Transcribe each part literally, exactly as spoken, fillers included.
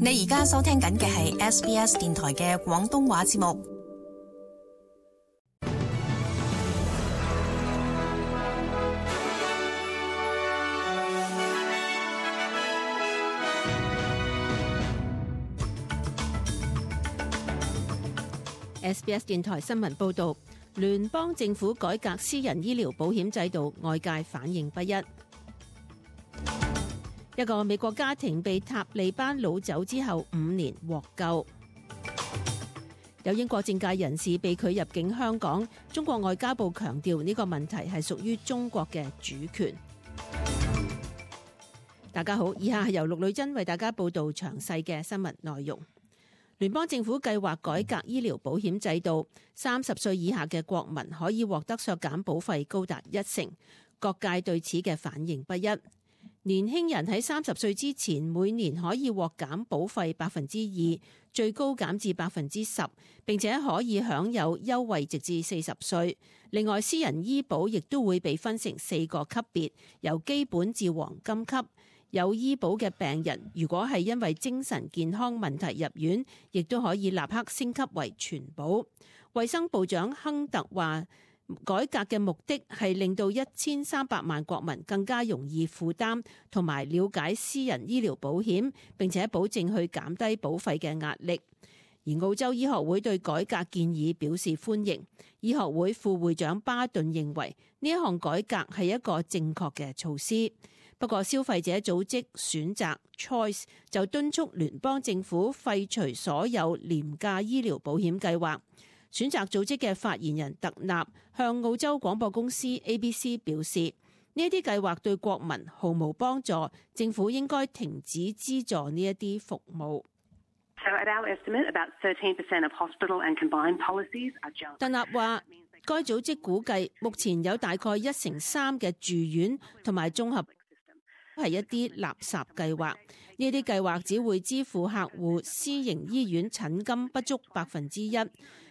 你而家收聽緊嘅係 S B S 電台嘅廣東話節目。S B S 電台新聞報道，聯邦政府改革私人醫療保險制度，外界反應不一。一個美國家庭被塔利班擄走之後五年獲救。有英國政界人士被拒入境香港，中國外交部強調呢個問題係屬於中國嘅主權。大家好，以下係由陸女珍為大家報道詳細嘅新聞內容。聯邦政府計劃改革醫療保險制度，三十歲以下嘅國民可以獲得削減保費高達一成，各界對此嘅反應不一。年輕人喺三十歲之前每年可以獲減保費百分之二，最高減至百分之十，並且可以享有優惠直至四十歲。另外，私人醫保亦都會被分成四個級別，由基本至黃金級。有醫保嘅病人，如果係因為精神健康問題入院，亦都可以立刻升級為全保。衛生部長亨特話，改革嘅目的係令到一千三百萬國民更加容易負擔同埋了解私人醫療保險，並且保證去減低保費嘅壓力。而澳洲醫學會對改革建議表示歡迎。醫學會副會長巴頓認為呢一項改革係一個正確嘅措施。不過，消費者組織選擇 Choice 就敦促聯邦政府廢除所有廉價醫療保險計劃。選擇組織嘅發言人特納向澳洲廣播公司 A B C 表示，呢一啲計劃對國民毫無幫助，政府應該停止資助呢一啲服務。特納話，該組織估計目前有大概一成三嘅住院同埋綜合係一啲垃圾計劃，呢啲計劃只會支付客戶私營醫院診金不足百分之一，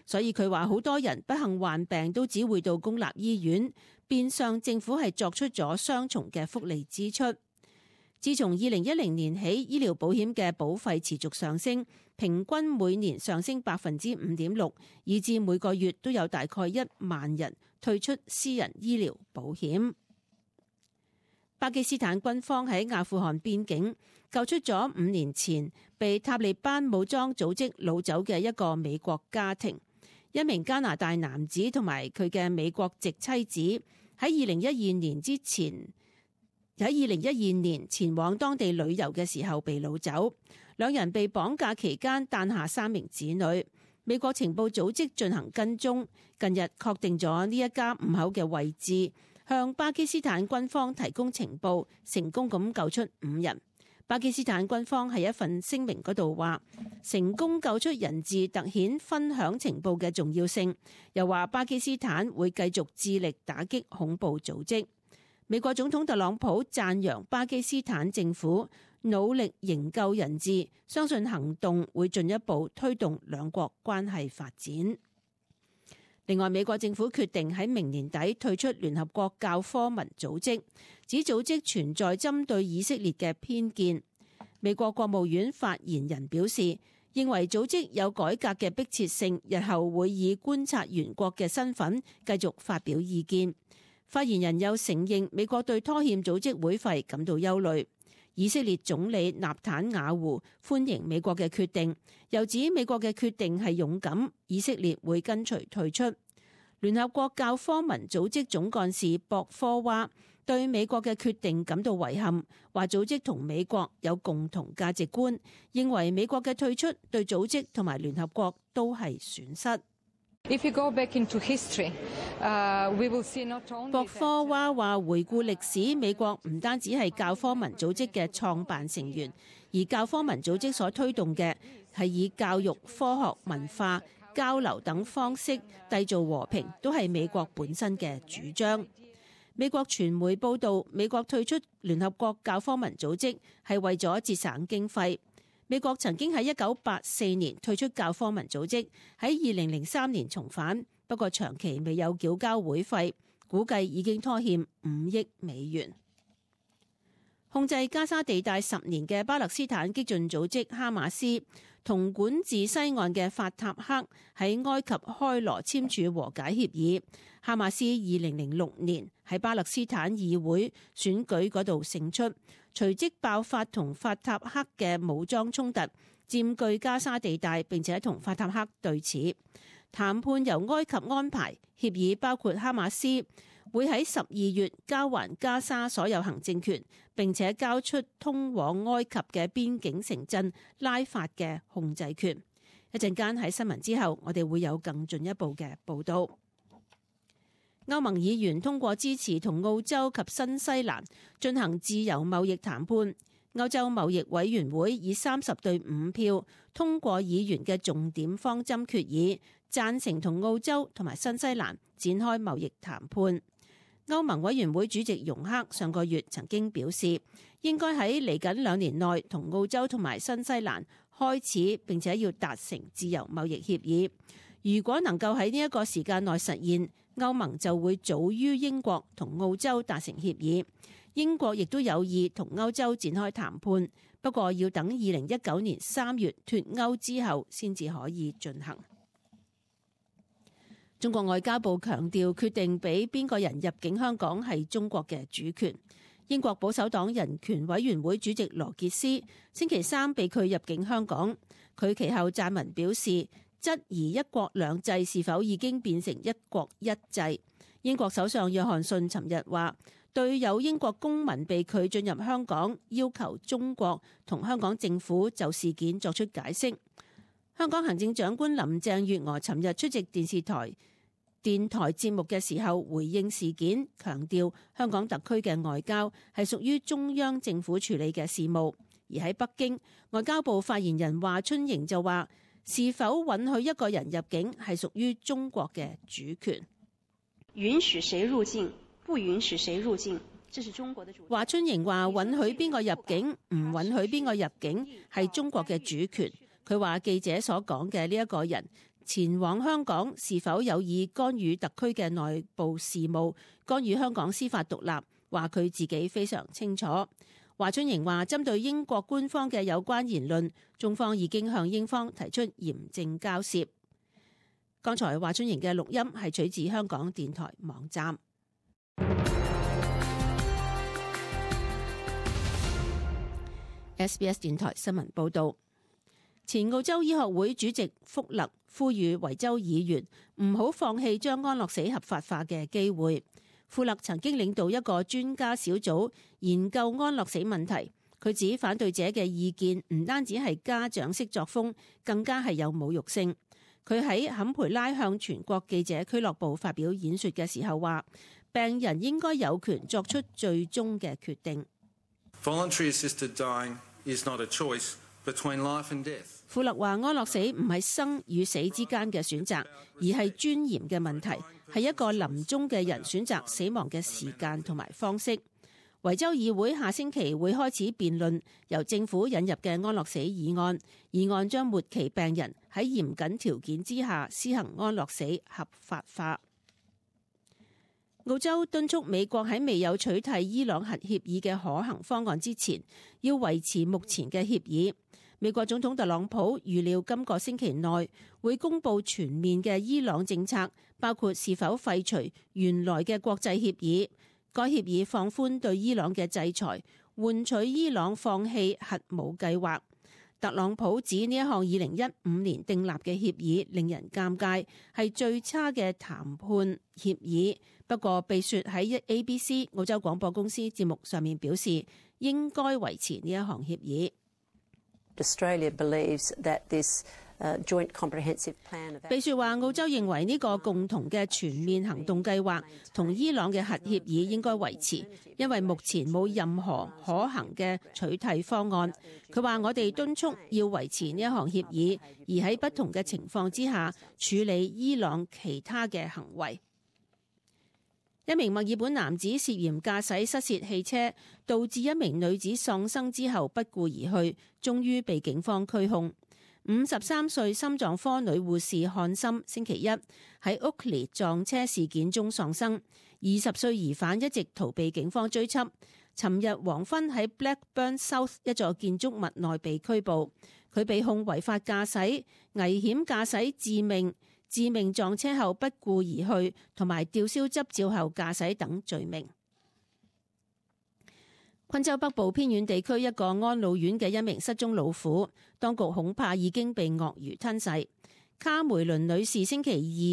所以佢話好多人不幸患病都只會到公立醫院，變相政府係作出咗雙重嘅福利支出。自從二零一零年起，醫療保險嘅保費持續上升，平均每年上升百分之五點六，以至每個月都有大概一萬人退出私人醫療保險。巴基斯坦軍方喺阿富汗邊境救出咗五年前被塔利班武裝組織擄走嘅一個美國家庭，一名加拿大男子同埋佢嘅美國籍妻子喺二零一二年之前喺二零一二年前往當地旅遊嘅時候被擄走，兩人被綁架期間誕下三名子女。美國情報組織進行跟蹤，近日確定咗呢一家五口嘅位置，向巴基斯坦軍方提供情報，成功咁救出五人。巴基斯坦軍方喺一份聲明嗰度話，成功救出人質凸顯分享情報嘅重要性，又話巴基斯坦會繼續致力打擊恐怖組織。美國總統特朗普讚揚巴基斯坦政府努力營救人質，相信行動會進一步推動兩國關係發展。另外，美國政府決定喺明年底退出聯合國教科文組織，指組織存在針對以色列嘅偏見。美國國務院發言人表示，認為組織有改革嘅迫切性，日後會以觀察員國嘅身份繼續發表意見。發言人又承認美國對拖欠組織會費感到憂慮。以色列總理納坦雅胡歡迎美國嘅決定，又指美國嘅決定係勇敢，以色列會跟隨退出。聯合國教科文組織總幹事博科娃對美國嘅決定感到遺憾，話組織同美國有共同價值觀，認為美國嘅退出對組織同埋聯合國都係損失。If you go back into history, uh, we will see not only 博科娃話，回顧歷史，美國唔單止係教科文組織嘅創辦成員，而教科文組織所推動嘅係以教育、科學、文化、交流等方式締造和平，都係美國本身嘅主張。美國傳媒報導，美國退出聯合國教科文組織係為咗節省經費。美國曾經喺一九八四年退出教科文組織，喺二零零三年重返，不過長期未有繳交會費，估計已經拖欠五億美元。控制加沙地帶十年嘅巴勒斯坦激進組織哈馬斯同管治西岸嘅法塔赫喺埃及開羅簽署和解協議。哈馬斯二零零六年喺巴勒斯坦議會選舉嗰度勝出，隨即爆發同法塔赫嘅武裝衝突，佔據加沙地帶，並且同法塔赫對峙。談判由埃及安排，協議包括哈馬斯會喺十二月交還加沙所有行政權，並且交出通往埃及嘅邊境城鎮拉法嘅控制權。一陣間喺新聞之後，我哋會有更進一步嘅報導。歐盟議員通過支持同澳洲及新西蘭進行自由貿易談判。歐洲貿易委員會以三十對五票通過議員嘅重點方針決議，贊成同澳洲同埋新西蘭展開貿易談判。歐盟委員會主席容克上個月曾經表示，應該喺嚟緊兩年內同澳洲同埋新西蘭開始，並且要達成自由貿易協議。如果能夠喺呢一個時間內實現，歐盟就會早於英國同澳洲達成協議。英國亦都有意同歐洲展開談判，不過要等二零一九年三月脫歐之後先至可以進行。中國外交部強調，決定俾邊個人入境香港係中國嘅主權。英國保守黨人權委員會主席羅傑斯星期三被拒入境香港，佢其後撰文表示，質疑一國兩制是否已經變成一國一制。英國首相約翰遜尋日話，對有英國公民被拒進入香港，要求中國同香港政府就事件作出解釋。香港行政長官林鄭月娥尋日出席電視台電台節目嘅時候回應事件，強調香港特區嘅外交係屬於中央政府處理嘅事務。而喺北京，外交部發言人華春瑩就話，是否允許一個人入境係屬於中國嘅主權。允許誰入境，不允許誰入境，這是中國的主權。華春瑩話，允許邊個入境，唔允許邊個入境係中國嘅主權。佢話記者所講嘅呢一個人前往香港是否有意干預特區嘅內部事務，干預香港司法獨立，話佢自己非常清楚。華春瑩話，針對英國官方嘅有關言論，中方已經向英方提出嚴正交涉。剛才華春瑩嘅錄音係取自香港電台網站。S B S 電台新聞報道，前澳洲醫學會主席福勒呼籲維州議員唔好放棄將安樂死合法化嘅機會。富勒曾經領導一個專家小組研究安樂死問題，佢指反對者嘅意見唔單止係家長式作風，更加係有侮辱性。佢喺坎培拉向全國記者俱樂部發表演說嘅時候話，病人應該有權作出最終嘅決定。Voluntary assisted dying is not a choice between life and death. 富勒話，安樂死唔係生與死之間嘅選擇，而係尊嚴嘅問題，係一個臨終嘅人選擇死亡嘅時間同埋方式。維州議會下星期會開始辯論由政府引入嘅安樂死議案，議案將末期病人喺嚴謹條件之下施行安樂死合法化。澳洲敦促美國喺未有取締伊朗核協議嘅可行方案之前，要維持目前嘅協議。美國總統特朗普預料今個星期內會公布全面嘅伊朗政策，包括是否廢除原來嘅國際協議。該協議放寬對伊朗嘅制裁，換取伊朗放棄核武計劃。特朗普指呢一項二零一五年訂立嘅協議令人尷尬，係最差嘅談判協議。不過，被說喺 A B C 澳洲廣播公司節目上面表示，應該維持呢一項協議。Australia believes that this joint comprehensive plan。被說話，澳洲認為呢個共同嘅全面行動計劃同伊朗嘅核協議應該維持，因為目前冇任何可行嘅取締方案。佢話：我哋敦促要維持呢一項協議，而喺不同嘅情況之下處理伊朗其他嘅行為。一名墨爾本男子涉嫌駕駛失竊汽車，導致一名女子喪生之後不顧而去，終於被警方拘控。五十三歲心臟科女護士漢森星期一喺屋崙撞車事件中喪生，二十歲疑犯一直逃避警方追緝。尋日黃昏喺 Blackburn South 一座建築物內被拘捕，佢被控違法駕駛、危險駕駛致命、致命撞車後不顧而去同埋吊銷執照後駕駛等罪名。昆州北部偏遠地區一個安老院嘅一名失蹤老虎，當局恐怕已經被鱷魚吞噬。卡梅倫女士星期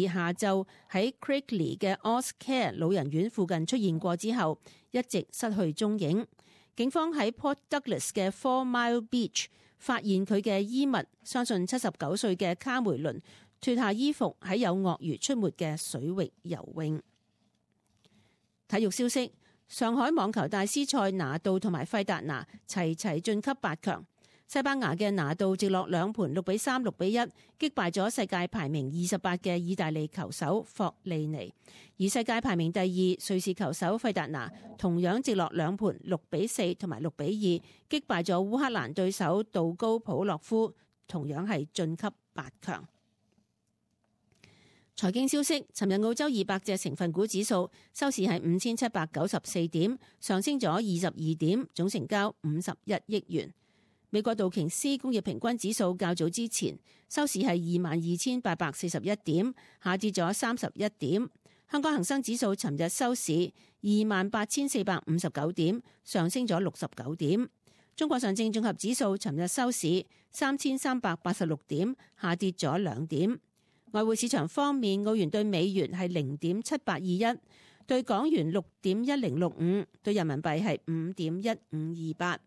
二下晝喺 Craigley 嘅 Oscare 老人院附近出現過之後，一直失去蹤影。警方喺 Port Douglas 嘅 Four Mile Beach 發現佢嘅衣物，相信七十九歲嘅卡梅倫脫下衣服喺有鱷魚出沒嘅水域游泳。體育消息：上海網球大師賽拿度同埋費達拿齊齊晉級八強。西班牙嘅拿度直落兩盤六比三、六比一擊敗咗世界排名二十八嘅意大利球手霍利尼，而世界排名第二瑞士球手費達拿同樣直落兩盤六比四同埋六比二擊敗咗烏克蘭對手杜高普洛夫，同樣係晉級八強。財經消息：尋日澳洲二百隻成分股指數收市係五千七百九十四點，上升咗二十二點，總成交五十一億元。美國道瓊斯工業平均指數較早之前收市係二萬二千八百四十一點，下跌咗三十一點。香港恒生指數尋日收市二萬八千四百五十九點，上升咗六十九點。中國上證綜合指數尋日收市三千三百八十六點，下跌咗兩點。外匯市場方面，澳元對美元係零點七八二一，對港元六點一零六五，對人民幣係五點一五二八。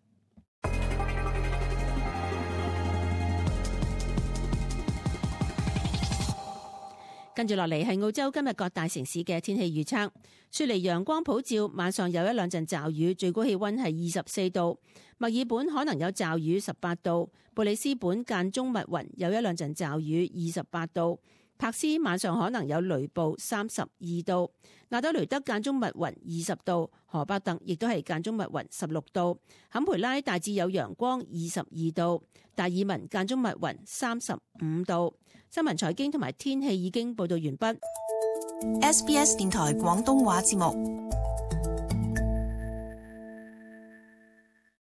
跟住落嚟係澳洲今日各大城市嘅天氣預測。雪梨陽光普照，晚上有一兩陣驟雨，最高氣溫係二十四度。墨爾本可能有驟雨，十八度。布里斯本間中密雲，有一兩陣驟雨，二十八度。柏斯晚上可能有雷暴，三十二度。亞德雷德間中密雲，二十度。荷伯特亦都係間中密雲，十六度。坎培拉大致有陽光，二十二度。達爾文間中密雲，三十五度。新聞財經同埋天氣已經報道完畢。S B S 電台廣東話節目。